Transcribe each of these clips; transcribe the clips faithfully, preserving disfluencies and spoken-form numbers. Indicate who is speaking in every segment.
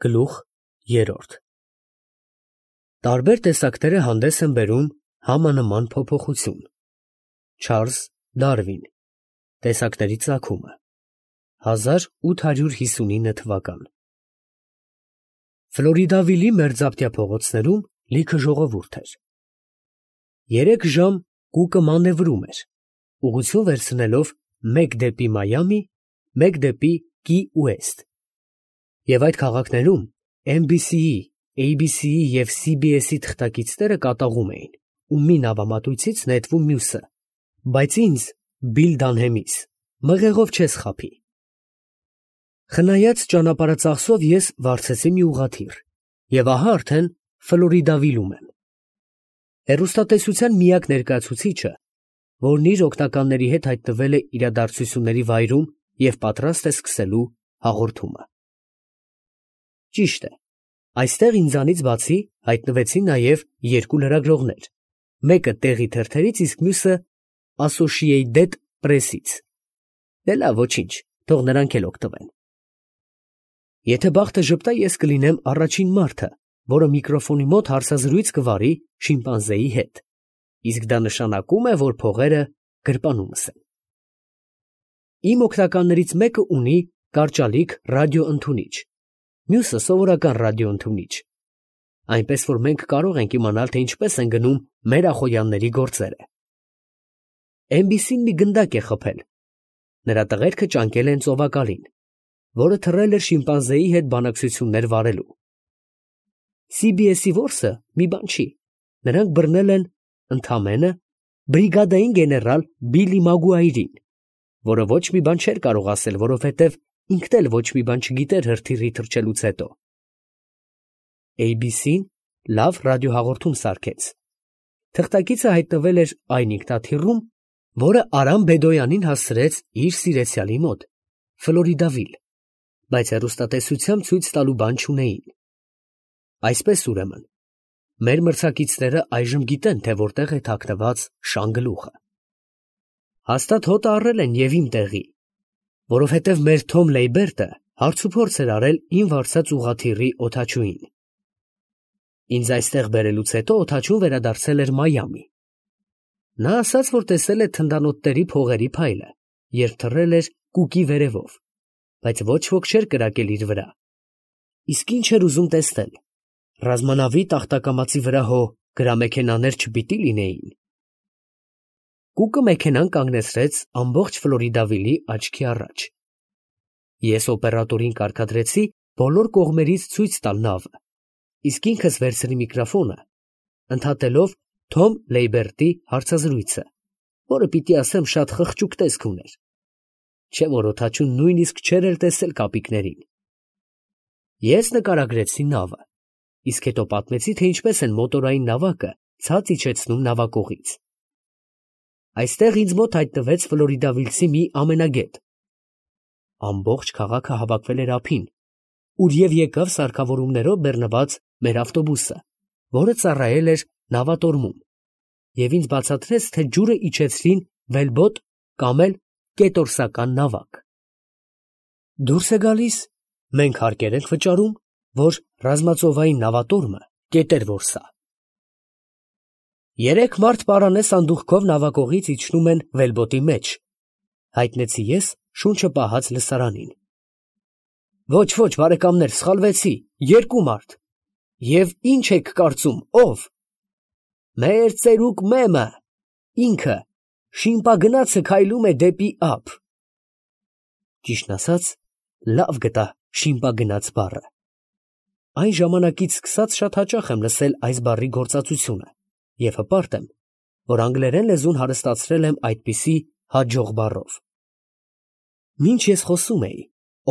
Speaker 1: Գլուխ երրորդ Տարբեր տեսակները հանդես են բերում համանման փոփոխություն։ Չարլզ Դարվին, Տեսակների ծագումը, հազար ութ հարյուր հիսունինը թվական։ Ֆլորիդավիլի մերձապտյա փողոցներում լիքը ժողովուրդ էր։ Երեք ժամ Կուկը մանևրում էր, ուղղություն վերցնելով մեկ դեպի Մայամի, մեկ դեպի Կի Ուեստ, և այդ քաղաքներում Էն Բի Սի-ի, Էյ Բի Սի-ի և Սի Բի Էս-ի թղթակիցները կատաղում էին, ու մի նավամատույցից նետվում մյուսը, բայց ինձ, Բիլ Դանհեմիս, մղեղով չես խաբի։ Խնայած ճանապարհածախսով ես վարձեցի մի ուղղաթիռ, և ահա արդեն Ֆլորիդավիլում եմ։ Հեռուստատեսության միակ ներկայացուցիչը, որն իր օգնականների հետ հայտնվել է իրադարձությունների վայրում և պատրաստ է սկսելու հաղորդումը։ Ճիշտ է, այստեղ ինձանից բացի հայտնվեցին նաև երկու լրագրողներ, մեկը տեղի թերթերից, իսկ մյուսը Ասոշիեյտեդ Պրեսից։ Դե լավ, ոչինչ, թող նրանք էլ օգտվեն։ Եթե բախտը ժպտա, ես կլինեմ առաջին մարդը, որը միկրոֆոնի մոտ հարցազրույց կվարի շիմպանզեի հետ, իսկ դա նշանակում է, որ փողերը գրպանումս են։ Իմ օգնականներից մեկը ունի կարճալիք ռադիոընդունիչ, մյուսը սովորական ռադիոընդունիչ, այնպես որ մենք կարող ենք իմանալ, թե ինչպես են գնում մեր ախոյանների գործերը։ Էն Բի Սին մի գնդակ է խփել, նրա տղերքը ճանկել են ծովակալին, որը թռել էր շիմպանզեի հետ բանակցություններ վարելու։ Սի Բի Էս-ի որսը մի բան չի, նրանք բռնել են ընդամենը բրիգադային գեներալ Բիլլի Մագուայրին, որը ոչ մի բան չէր կարող ասել, որովհետև ինքն էլ ոչ մի բան չգիտեր հրթիռի թռչելուց հետո։ Էյ Բի Սին լավ ռադիոհաղորդում սարքեց։ Թղթակիցը հայտնվել էր այն ինքնաթիռում, որը Արամ Բեդոյանին հասցրեց իր սիրեցյալի մոտ, Ֆլորիդավիլ, բայց հեռուստատեսությամբ ցույց տալու բան չունեին։ Այսպես ուրեմն, մեր մրցակիցները այժմ գիտեն, թե որտեղ է թաքնված շանգլուխը։ Հաստատ հոտը առել են և իմ տեղի, որովհետև մեր Թոմ Լեյբերտը հարցուփորձ էր արել իմ վարձած ուղղաթիռի օդաչուին։ Ինձ այստեղ բերելուց հետո օդաչուն վերադարձել էր Մայամի։ Նա ասաց, որ տեսել է թնդանոթների փողերի փայլը, երբ թռել էր Կուկի վերևով, բայց ոչ ոք չէր կրակել իր վրա։ Իսկ ինչ էր ուզում տեսնել, ռազմանավի տախտակամածի վրա հո գրամեքենաներ չպիտի լինեին։ Կուկը մեքենան կանգնեցրեց ամբողջ Ֆլորիդավիլի աչքի առաջ։ Ես օպերատորին կարգադրեցի բոլոր կողմերից ցույց տալ նավը, իսկ ինքս վերցրի միկրոֆոնը, ընդհատելով Թոմ Լեյբերտի հարցազրույցը, որը պիտի ասեմ շատ խղճուկ տեսք ուներ, չէ որ օդաչուն նույնիսկ չէր էլ տեսել կապիկներին։ Ես նկարագրեցի նավը, իսկ հետո պատմեցի, թե ինչպես են մոտորային նավակը ցած իջեցնում նավակողից։ Այստեղ ինձ մոտ հայտնվեց ֆլորիդավիլցի մի ամենագետ։ Ամբողջ քաղաքը հավաքվել էր ափին, ուր և եկավ սարքավորումներով բեռնված մեր ավտոբուսը, որը ծառայել էր նավատորմում, և ինձ բացատրեց, թե ջուրը իջեցրին վելբոտ կամ էլ կետորսական նավակ։ Դուրս է գալիս, մենք հարկեր ենք վճարում, որ ռազմածովային նավատորմը կետեր որսա։ Երեք մարդ պարանե սանդուղքով նավակողից իջնում են վելբոտի մեջ, հայտնեցի ես շունչը պահած լսարանին։ Ոչ, ոչ, բարեկամներ, սխալվեցի, երկու մարդ։ Եվ ինչ եք կարծում, ով։ Մեր ծերուկ Մեմը, ինքը, շիմպագնացը քայլում է դեպի ափ։ Ճիշտն ասած, լավ գտա շիմպագնաց բառը։ Այն ժամանակից սկսած շատ հաճախ եմ լսել այս բառի գործածությունը և հպարտ եմ, որ անգլերեն լեզուն հարստացրել եմ այդպիսի հաջող բառով։ Մինչ ես խոսում էի,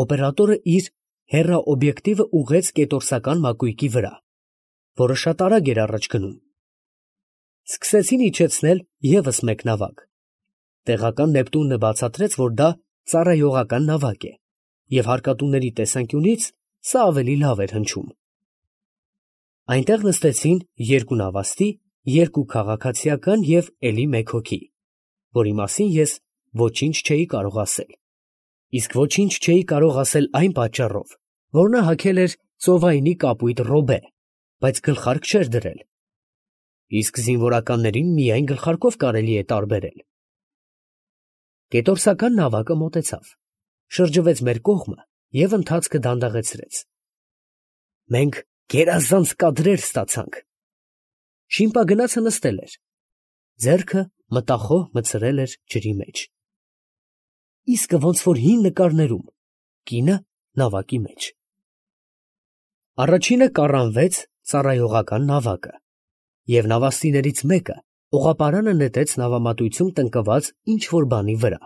Speaker 1: օպերատորը իր հեռաօբյեկտիվը ուղղեց կետորսական մակույկի վրա, որը շատ արագ էր առաջ գնում։ Սկսեցին իջեցնել ևս մեկ նավակ։ Տեղական Նեպտունը բացատրեց, որ դա ծառայողական նավակ է, և հարկատուների տեսանկյունից սա ավելի լավ էր հնչում։ Այնտեղ նստեցին երկու նավաստի, երկու քաղաքացիական և էլի մեկ հոգի, որի մասին ես ոչինչ չէի կարող ասել, իսկ ոչինչ չէի կարող ասել այն պատճառով, որ նա հագել էր ծովայինի կապույտ ռոբե, բայց գլխարկ չէր դրել, իսկ զինվորականներին միայն գլխարկով կարելի է տարբերել։ Կետորսական նավակը մոտեցավ, շրջվեց մեր կողմը և ընթացքը դանդաղեցրեց։ Մենք գերազանց կադրեր ստացանք։ Շիմպագնացը նստել էր, ձեռքը մտախոհ մտցրել էր ջրի մեջ։ Իսկը ոնց որ հին նկարներում, կինը նավակի մեջ։ Առաջինը կառանվեց ծառայողական նավակը, և նավաստիներից մեկը օղապարանը նետեց նավամատույցում տնկված ինչ-որ բանի վրա։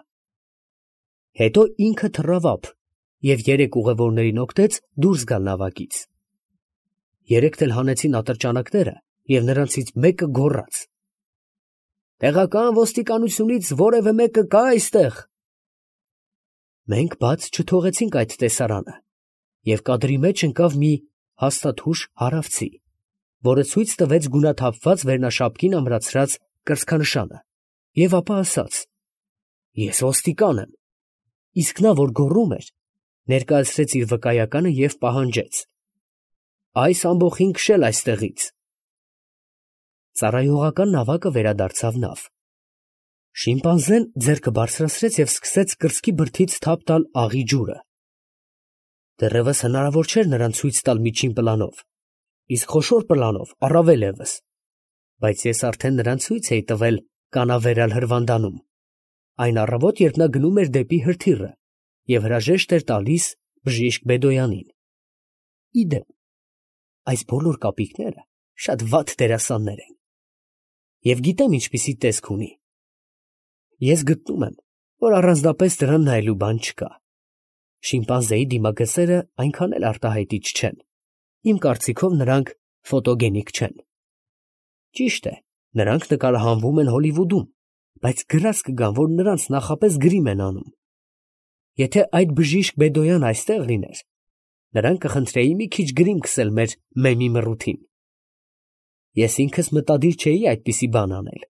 Speaker 1: Հետո ինքը թռավ ափ և երեք ուղևորներին օգնեց դուրս գալ նավակից։ Երեքն էլ հանեցին ատրճանակները և նրանցից մեկը գոռաց. «Տեղական ոստիկանությունից որևէ մեկը կա այստեղ»։ Մենք բաց չթողեցինք այդ տեսարանը, և կադրի մեջ ընկավ մի հաստաթուշ հարավցի, որը ցույց տվեց գունաթափված վերնաշապկին ամրացրած կրծքանշանը, և ապա ասաց. «Ես ոստիկան եմ», իսկ նա, որ գոռում էր, ներկայացրեց իր վկայականը և պահանջեց. «Այս ամբոխին քշել այստեղից»։ Ծառայողական նավակը վերադարձավ նավ։ Շիմպանզեն ձեռքը բարձրացրեց և սկսեց կրծքի բրդից թափ տալ աղի ջուրը։ Դեռևս հնարավոր չէր նրան ցույց տալ միջին պլանով, իսկ խոշոր պլանով առավել ևս, բայց ես արդեն նրան ցույց էի տվել կանավերալ հրվանդանում, այն առավոտ, երբ նա գնում էր դեպի հրթիռը և հրաժեշտ էր տալիս բժիշկ Բեդոյանին։ Ի դեպ, այս բոլոր կապիկները շատ վատ դերասաններ են, և գիտեմ ինչպիսի տեսք ունի։ Ես գտնում եմ, որ առանձնապես դրան նայելու բան չկա։ Շիմպանզեի դիմագծերը այնքան էլ արտահայտիչ չեն, իմ կարծիքով նրանք ֆոտոգենիկ չեն։ Ճիշտ է, նրանք նկարահանվում են Հոլիվուդում, բայց գրած կգան, որ նրանց նախապես գրիմ են անում։ Եթե այդ բժիշկ Բեդոյան այստեղ լիներ, նրան կխնդրեի մի քիչ գրիմ քսել մեր Մեմի Մռութին։ Ես ինքս մտադիր չէի այդպիսի բան անել։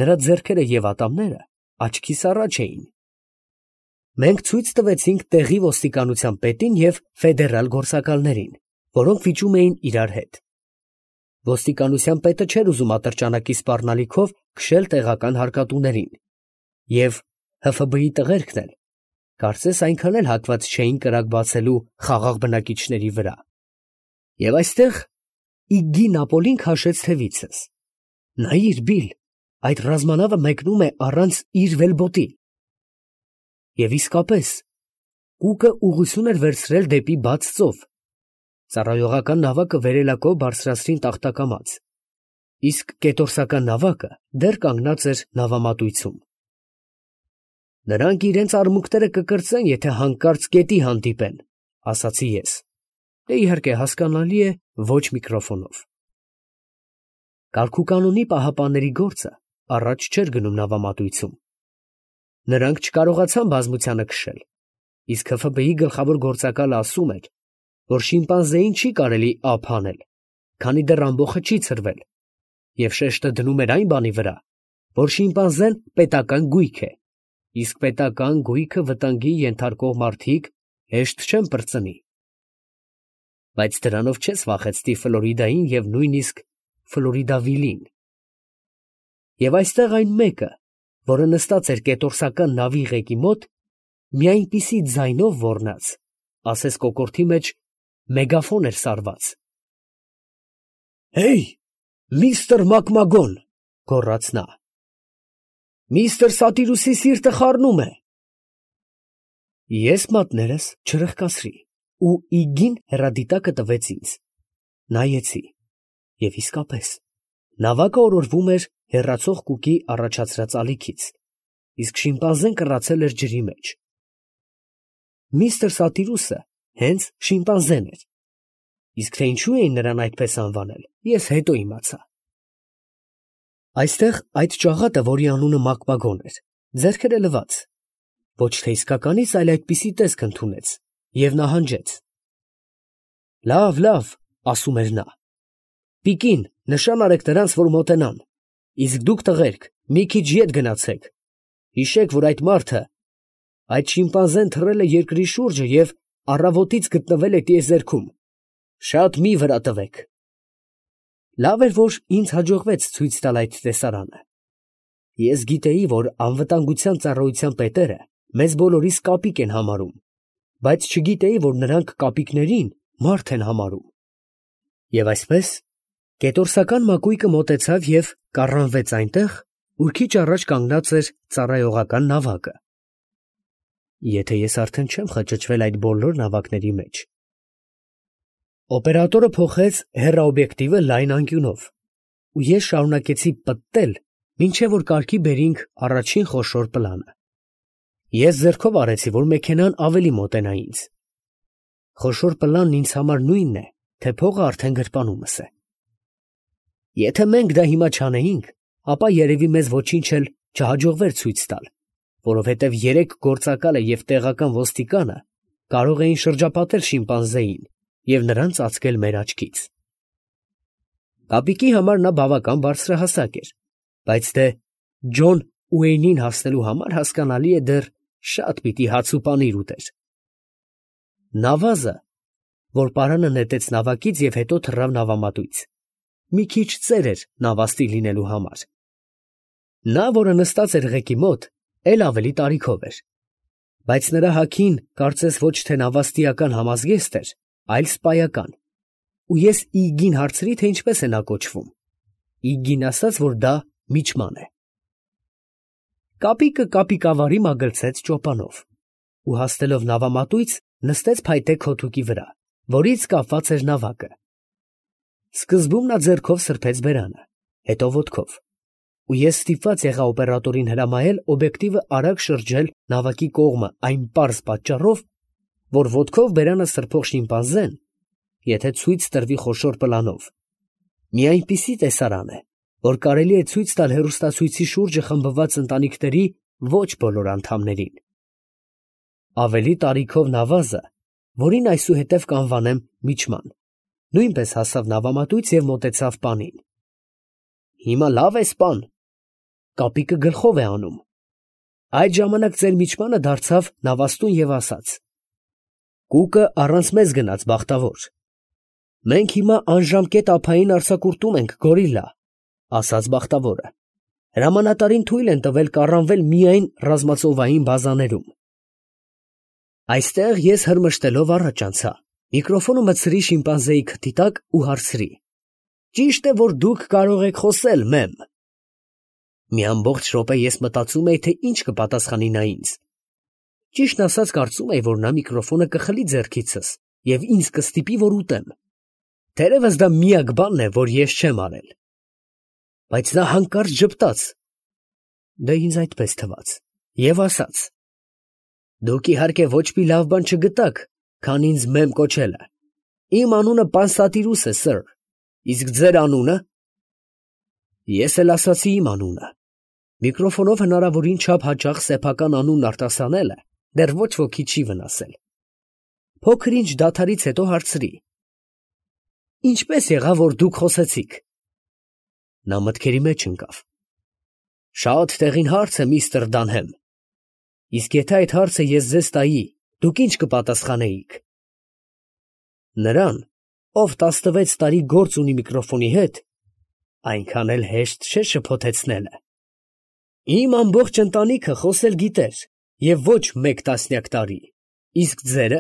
Speaker 1: Նրա ձեռքերը և ատամները աչքիս առաջ էին։ Մենք ցույց տվեցինք տեղի ոստիկանության պետին և ֆեդերալ գործակալներին, որոնք վիճում էին իրար հետ։ Ոստիկանության պետը չէր ուզում ատրճանակի սպառնալիքով քշել տեղական հարկատուներին, և Հ Ֆ B-ի տղերքն էլ կարծես այնքան էլ հակված չէին կրակ բացելու խաղաղ բնակիչների վրա։ Եվ այստեղ Իգգի Նապոլին քաշեց թևիցս. «Նայիր, Բիլ, այդ ռազմանավը մեկնում է առանց իր վելբոտի»։ Եվ իսկապես, Կուկը ուղղություն էր վերցրել դեպի բաց ծով։ Ծառայողական նավակը վերելակով բարձրացրին տախտակամած, իսկ կետորսական նավակը դեռ կանգնած էր նավամատույցում։ «Նրանք իրենց արմունկները կկրծեն, եթե հանկարծ գետի հանդիպեն», ասացի ես, դե իհարկե հասկանալի է, ոչ միկրոֆոնով։ Կարգուկանոնի պահապանների գործը առաջ չէր գնում նավամատույցում։ Նրանք չկարողացան բազմությանը քշել, իսկ Հ Ֆ B-ի գլխավոր գործակալը ասում էր, որ շիմպանզեին չի կարելի ափ հանել, քանի դեռ ամբոխը չի ցրվել, և շեշտը դնում էր այն բանի վրա, որ շիմպանզեն պետական գույք է, իսկ պետական գույքը վտանգի ենթարկող մարդիկ հեշտ չեն պրծնի։ Բայց դրանով չես վախեցնի Ֆլորիդային և նույնիսկ Ֆլորիդավիլին։ Եվ այստեղ այն մեկը, որը նստած էր կետորսական նավի ղեկի մոտ, մի այնպիսի ձայնով ոռնաց, ասես կոկորդի մեջ մեգաֆոն էր սարված։ «Հեյ, միստր Մակմագոն», գոռաց նա, «միստր Սատիրուսի սիրտը խառնում է»։ Ես մատներս չրխկացրի, ու Իգգին հեռադիտակը տվեց ինձ։ Նայեցի, և իսկապես, նավակը օրորվում էր հեռացող Կուկի առաջացրած ալիքից, իսկ շիմպանզեն կռացել էր ջրի մեջ։ Միստր Սատիրուսը հենց շիմպանզեն էր, իսկ թե ինչու էին նրան այդպես անվանել, ես հետո իմացա։ Այստեղ այդ ճաղատը, որի անունը Մակմագոն էր, ձեռքերը լվաց, ոչ թե իսկականից, այլ այդպիսի տեսք ընդունեց և նահանջեց։ «Լավ, լավ», ասում էր նա, «պիկին, նշան արեք նրանց, որ մոտենան, իսկ դուք տղերք մի քիչ ետ գնացեք, հիշեք, որ այդ մարդը, այդ շիմպանզեն թռել է երկրի շուրջը և առավոտից գտնվել է տիեզերքում, Շատ մի վրա տվեք։ Լավ էր, որ ինձ հաջողվեց ցույց տալ այդ տեսարանը։ Ես գիտեի, որ անվտանգության ծառայության պետերը մեզ բոլորիս կապիկ են համարում, բայց չգիտեի, որ նրանք կապիկներին մարդ են համարում։ Եվ այսպես կետորսական մակույկը մոտեցավ և կառանվեց այնտեղ, ուր քիչ առաջ կանգնած էր ծառայողական նավակը։ Եթե ես արդեն չեմ խճճվել այդ բոլոր նավակների մեջ։ Օպերատորը փոխեց հեռաօբյեկտիվը լայն անկյունով, ու ես շարունակեցի պտտել, մինչև որ կարգի բերինք առաջին խոշոր պլանը։ Ես ձեռքով արեցի, որ մեքենան ավելի մոտենա ինձ։ Խոշոր պլանն ինձ համար նույնն է, թե փողը արդեն գրպանումս է։ Եթե մենք դա հիմա չանեինք, ապա երևի մեզ ոչինչ էլ չհաջողվեր ցույց տալ, որովհետև երեք գործակալը և տեղական ոստիկանը կարող էին շրջապատել շիմպանզեին և նրան ծածկել մեր աչքից։ Կապիկի համար նա բավական բարձրահասակ էր, բայց դե Ջոն Ուեյնին հասնելու համար հասկանալի է դեռ շատ պիտի հաց ու պանիր ուտեր։ Նավազը, որ պարանը նետեց նավակից և հետո թռավ նավամատույց, մի քիչ ծեր էր նավաստի լինելու համար։ Նա, որը նստած էր ղեկի մոտ, էլ ավելի տարիքով էր, բայց նրա հագին կարծես ոչ թե նավաստիական համազգեստ էր, այլ սպայական, ու ես Իգգին հարցրի, թե ինչպես է նա կոչվում։ Իգգին ասաց, որ դա միջման է։ Կապիկը կապիկավարի մագլցեց ճոպանով ու հասնելով նավամատույց նստեց փայտե քոթուկի վրա, որից կապված էր նավակը։ Սկզբում նա ձեռքով սրբեց բերանը, հետո ոտքով, ու ես ստիպված եղա օպերատորին հրամայել օբյեկտիվը արագ շրջել նավակի կողմը այն պարզ պատճառով, որ ոտքով բերանը սրբող շիմպանզեն, եթե ցույց տրվի խոշոր պլանով, մի այնպիսի տեսարան է, որ կարելի է ցույց տալ հեռուստացույցի շուրջը խմբված ընտանիքների ոչ բոլոր անդամներին։ Ավելի տարիքով նավազը, որին այսուհետև կանվանեմ միջման, նույնպես հասավ նավամատույց և մոտեցավ պանին։ Հիմա լավ ես, պան, կապիկը գլխով է անում։ Այդ ժամանակ ձեր միջմանը դարձավ նավաստուն և ասաց. «Կուկը առանց մեզ գնաց, բախտավոր։ Մենք հիմա անժամկետ ափային արձակուրդում ենք, գորիլլա», ասաց բախտավորը։ «Հրամանատարին թույլ են տվել կառանվել միայն ռազմածովային բազաներում»։ Այստեղ ես հրմշտելով առաջ անցա, միկրոֆոնը մտցրի շիմպանզեի քթի տակ ու հարցրի. «Ճիշտ է, որ դուք կարող եք խոսել, մեմ»։ Մի ամբողջ րոպե ես մտածում էի, թե ինչ կպատասխանի նա ինձ։ Ճիշտն ասած, կարծում էի, որ նա միկրոֆոնը կխլի ձեռքիցս և ինձ կստիպի, որ ուտեմ։ Թերևս դա միակ բանն է, որ ես չեմ արել։ Բայց նա հանկարծ ժպտաց, դե ինձ այդպես թվաց, և ասաց. «Դուք իհարկե ոչ մի լավ բան չգտաք, քան ինձ մեմ կոչելը։ Իմ անունը Պանսատիրուս է, սըր, իսկ ձեր անունը»։ Ես էլ ասացի իմ անունը։ Միկրոֆոնով հնարավորին չափ հաճախ սեփական անունն արտասանելը դեռ ոչ ոքի չի վնասել։ Փոքր ինչ դադարից հետո հարցրի. «Ինչպես եղավ, որ դուք խոսեցիք»։ Նա մտքերի մեջ ընկավ։ «Շատ տեղին հարց է, միստր Դանհեմ։ Իսկ եթե այդ հարցը ես ձեզ տայի, դուք ինչ կպատասխանեիք»։ Նրան, ով տասնվեց տարի գործ ունի միկրոֆոնի հետ, այնքան էլ հեշտ չէ շփոթեցնելը։ Իմ ամբողջ ընտանիքը խոսել գիտեր, և ոչ մեկ տասնյակ տարի, իսկ ձերը։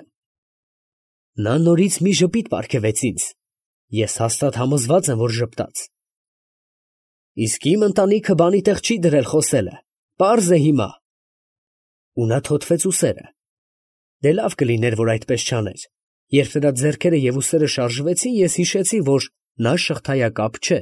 Speaker 1: Նա նորից մի ժպիտ պարգևեց ինձ, ես հաստատ համոզված եմ, որ ժպտաց։ Իսկ իմ ընտանիքը բանի տեղ չի դրել խոսելը, պարզ է հիմա։ Ու նա թոթվեց ուսերը։ Դե լավ կլիներ, որ այդպես չաներ։ Երբ նրա ձեռքերը և ուսերը շարժվեցին, ես հիշեցի, որ նա շղթայակապ չէ։